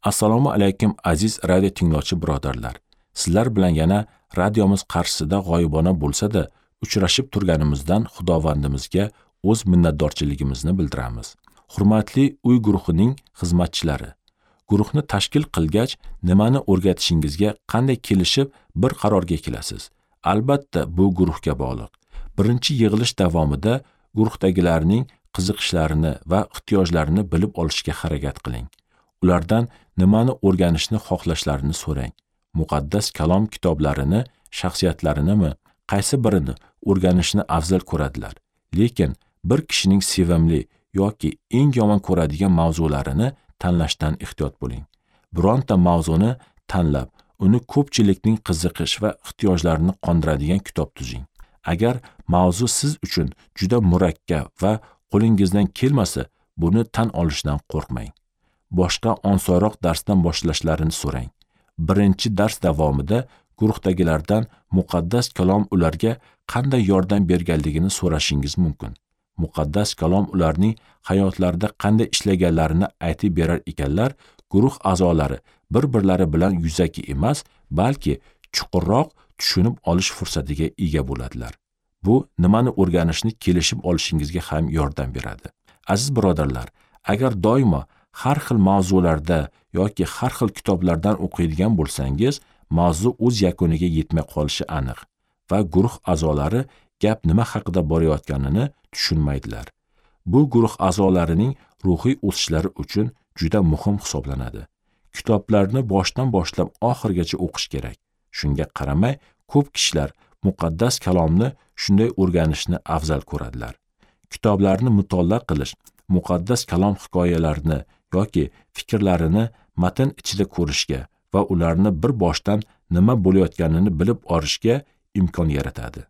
Assalomu alaykum aziz radio tinglovchi birodarlar. Sizlar bilan yana radiomiz qarshisida g'oyibona bo'lsa-da uchrashib turganimizdan Xudovandimizga o'z minnatdorchiligimizni bildiramiz. Hurmatli uy guruhining xizmatchilari, guruhni tashkil qilgach nimani o'rgatishingizga qanday kelishib bir qarorga kelasiz? Albatta, bu guruhga bog'liq. Birinchi yig'ilish davomida guruhdagilarning qiziqishlarini va ehtiyojlarini bilib olishga harakat qiling. Ulardan nimani o'rganishni xohlashlarini so'rang. Muqaddas kalom kitoblarini, shaxsiyatlarinimi, qaysi birini o'rganishni afzal ko'radilar. Lekin bir kishining sevimli yoki eng yomon ko'radigan mavzularini tanlashdan ehtiyot bo'ling. Bironta mavzuni tanlab, uni ko'pchilikning qiziqish va ehtiyojlarini qondiradigan kitob tuzing. Agar mavzu siz uchun juda murakkab va qo'lingizdan kelmasa, buni tan olishdan qo'rqmang. Boshqa osonroq darsdan boshlashlarini so'rang. Birinchi dars davomida guruhdagilardan muqaddas kalom ularga qanday yordam berganligini so'rashingiz mumkin. Muqaddas kalom ularning hayotlarida qanday ishlaganlarini aytib berar ekanlar, guruh a'zolari bir-birlari bilan yuzaki emas, balki chuqurroq tushunib olish fursatiga ega bo'ladilar. Bu nimani o'rganishni kelishib olishingizga ham yordam beradi. Aziz birodarlar, agar doimo har xil mavzularda yoki har xil kitoblardan o'qiydigan bo'lsangiz, mavzu o'z yakuniga yetmay qolishi aniq va guruh a'zolari gap nima haqida borayotganini tushunmaydilar. Bu guruh a'zolarining ruhiy o'sishlari uchun juda muhim hisoblanadi. Kitoblarni boshdan boshlab oxirigacha o'qish kerak. Shunga qaramay, ko'p kishilar muqaddas kalomni shunday o'rganishni afzal ko'radilar. Kitoblarni mutolaa qilish, muqaddas kalom hikoyalarini yoki fikrlarini matn ichida ko'rishga va ularni bir boshdan nima bo'layotganini bilib olishga imkon yaratadi.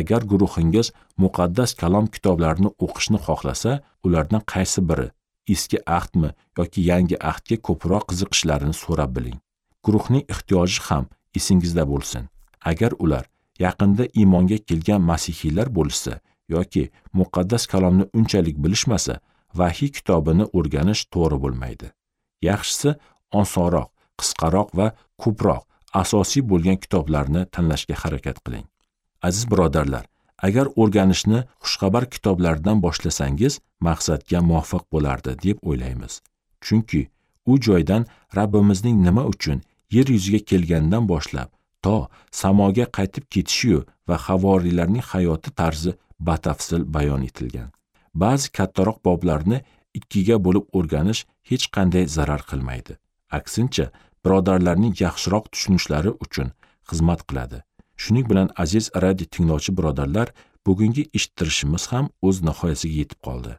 Agar guruhingiz muqaddas kalom kitoblarini o'qishni xohlasa, ulardan qaysi biri eski ahdmi yoki yangi ahdga ko'proq qiziqishlarini so'rab biling. Guruhning ehtiyoji ham esingizda bo'lsin. Agar ular yaqinda iymonga kelgan masihiylar bo'lsa yoki muqaddas kalomni unchalik bilishmasa, vahiy kitobini o'rganish to'g'ri bo'lmaydi. Yaxshisi osonroq, qisqaroq va ko'proq asosiy bo'lgan kitoblarni tanlashga harakat qiling. Aziz birodarlar, agar o'rganishni xushxabar kitoblardan boshlasangiz, maqsadga muvofiq bo'lardi deb o'ylaymiz. Chunki u joydan Rabbimizning nima uchun yer yuziga kelgandan boshlab to samoga qaytib ketishiyu va havoriylarning hayoti tarzi batafsil bayon etilgan. Ba'zi kattaroq boblarni ikkiga bo'lib o'rganish hech qanday zarar qilmaydi. Aksincha, birodarlarning yaxshiroq tushunishlari uchun xizmat qiladi. Shuning bilan aziz radio tinglovchi birodarlar, bugungi eshittirishimiz ham o'z nihoyasiga yetib qoldi.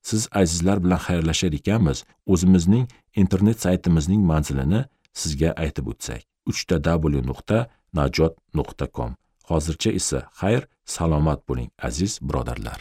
Siz azizlar bilan xayrlashar ekanmiz, o'zimizning internet saytimizning manzilini sizga aytib o'tsak: www.najot.com. Hozircha esa xayr, salomat bo'ling aziz birodarlar.